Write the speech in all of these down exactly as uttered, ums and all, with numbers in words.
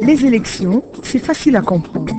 Les élections, c'est facile à comprendre.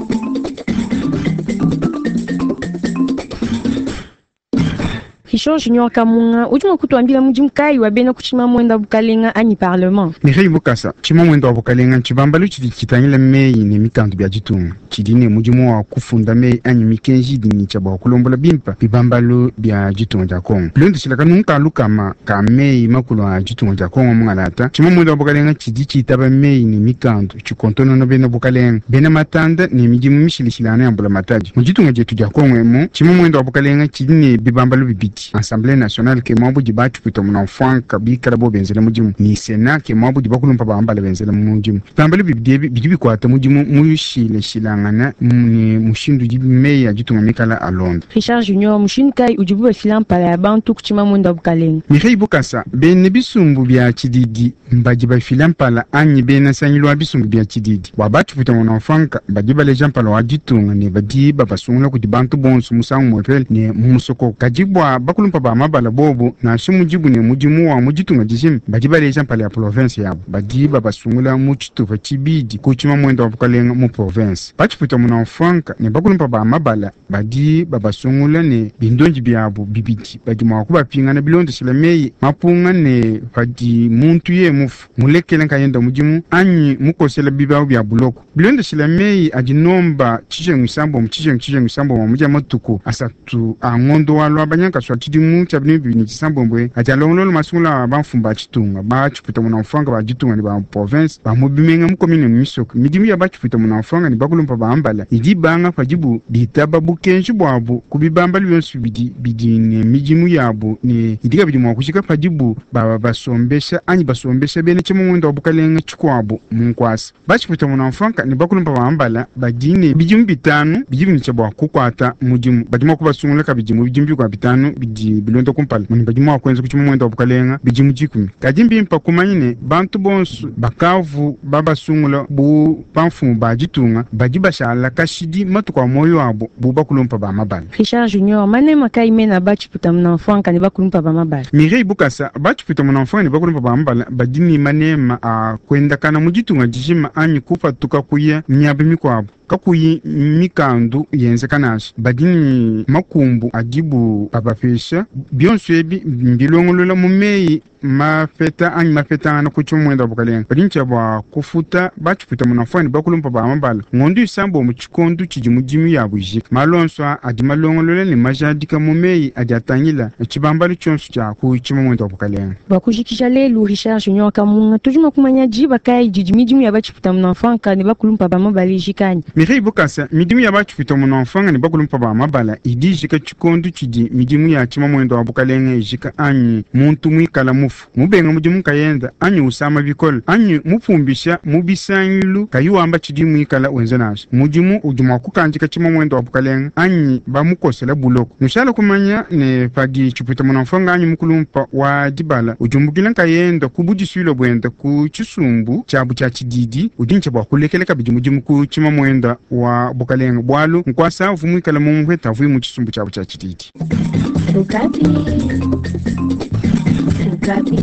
Richard Junior Kamunga, udi mua kutuambila mudimu kayi wa bena ku tshimamuenda bukalenga anyi parlement? Mireille Bukasa, tshimamuenda wa bukalenga ntshibambalu tshidi tshitangila meyi ne mikandu bia ditunga, tshidi ne mudimu wa kufunda meyi anyi mikenji idi ne tshia bua kulombola bimpe bibambalu bia ditunga dia Kongo. Bilondeshila kanungu ka lukama ka meyi makulu a ditunga dia Kongo mungalata, tshimamuenda wa bukalenga tshidi tshitaba meyi ne mikandu, tshikontonona bena bukalenga, bena matanda ne midimu mishilashilangane ya mbulamatadi. Mu ditunga dietu dia Kongo emu, tshimamuenda wa bukalenga tshidi ne bibambalu bibidi. Assemblée nationale ke muabu di batshipwita munamfwanka bikala bo benzela mudimu, ni Sénat ke muabu di bakulumpa bambala benzela mudimu. Bibambalu bibidi ebi bidi bikuata mudimu mushilashilangana ne mushindu udi meyi a ditunga mikala alonda. Richard Junior, mushindu kayi udibu bafila mpala ya bantu ku tshimamuenda wa bukalenga? Mireille Bukasa, bena bisumbu bia tshididi mbadi bafila mpala anyi bena nsangilu wa bisumbu bia tshididi. Bua batshipwita munamfwanka badi baleja mpala wa ditunga ne badi babasungula kudi bantu bonso musangu muepele ne mu musokoko. Kadi bua bakulumpa ba mabala bobo nansha mudibu ne mudimu wa mu ditunga dijima badi baleja mpala ya province yabo, badi babasungula mu tshitupa tshibidi ku tshimamuenda wa bukalenga mu province. Batshipwita munamfwanka ne bakulumpa ba mabala badi babasungula ne bindondi biabo bibidi, badi mua kubapingana bilondeshela meyi mapunga ne padi muntu ye mufu mulekele nkayenda mudimu anyi mukosela bibawu bia buloko. Bilondeshela meyi adi nomba tshijengu isambombo tshijengu tshijengu isambombo mu dia matuku asatu a ngondo wa lwa banyankaswa tshidimu tshia binu bibidi ne tshisambombo adi alongolola masungula a bamfumu ba tshitunga ba tshipwita munamfwanga ba ditunga ne ba province ba mu bimenga mu commune mu misoko. Midimu ya batshipwita munamfwanga ne bakulumpa ba mbala idi banga padibu bitaba bukenji bwabu ku bibambalu bionso bidi bidi ne midimu yabu ne idi kabidi mua kujika padibu baba basombesha anyi basombesha bena tshimamuenda wa bukalenga tshikuabu mu nkwasa. Batshipwita munamfwanga ne bakulumpa ba mbala badi ne bidimu bitanu bidi bintsha bua kukuata mudimu, badi mua kubasungula kabidi mu bidimu bikuabu bitanu bidi bilonda kumpala, muni badi mua kuenza ku tshimamuenda wa bukalenga bidimu dikumi. Kadi mbimpe kumanya ne bantu bonso bakavu babasungula bu bamfumu ba ditunga badi bashala kashidi matuku a moyo wabo bu bakulumpa ba mabala. Richard Junior, manema kayi mena batshipwita munamfwanka ne bakulumpa ba mabala? Mireille Bukasa, batshipwita munamfwanka ne bakulumpa ba mabala badi ne manema a kuendakana mu ditunga dijima anyi kupatuka kuya miaba mikuabu kakuyi mikandu yenzeka nansha. Badi ne makumbu adibu babapesha bionso ebi mbilongolola mu meyi mapeta anyi mapetangana ku tshimamuenda wa bukalenga. Badi ntshia bua kufuta batshipwita munamfwanka ne bakulumpa ba mabala ngondo isambombo mu tshikondu tshidi mudimu yabu ijika. Malu onso aa adi malongolola ne majadika mu meyi adi atangila tshibambalu tshionso tshia ku tshimamuenda wa bukalenga. Bua kujikija lelu, Richard Junior Kamunga, tudi mua kumanya diba kayi didi midimu ya batshipwita munamfwanka ne bakulumpa ba mabala ijika anyi? Mireille Bukasa, midimu ya batshipwita munamfwanka ne bakulumpa ba mabala idi ijika tshikondu tshidi midimu ya tshimamuenda wa bukalenga ijika anyi muntu muikala mufu mubenga mudimu nkayenda anyi usama bikole anyi mupumbisha mu bisangilu kayi wamba tshidi muikala wenza nansha. Mudimu udi mua kukandika tshimamuenda wa bukalenga anyi bamukosela buloko. Nushala kumanya ne padi tshipwita munamfwanka anyi mukulumpa wa dibala udiumbukila nkayenda ku budisuile buenda ku tshisumbu tshiabu tshia tshididi, udi ntshia bua kulekela kabidi mudimu ku tshimamuenda wa bukalenga bualu nkwasa uvu muikala mu muheta avuye mu tshisumbu tshiabu tshia tshididi. Okapi. Okapi.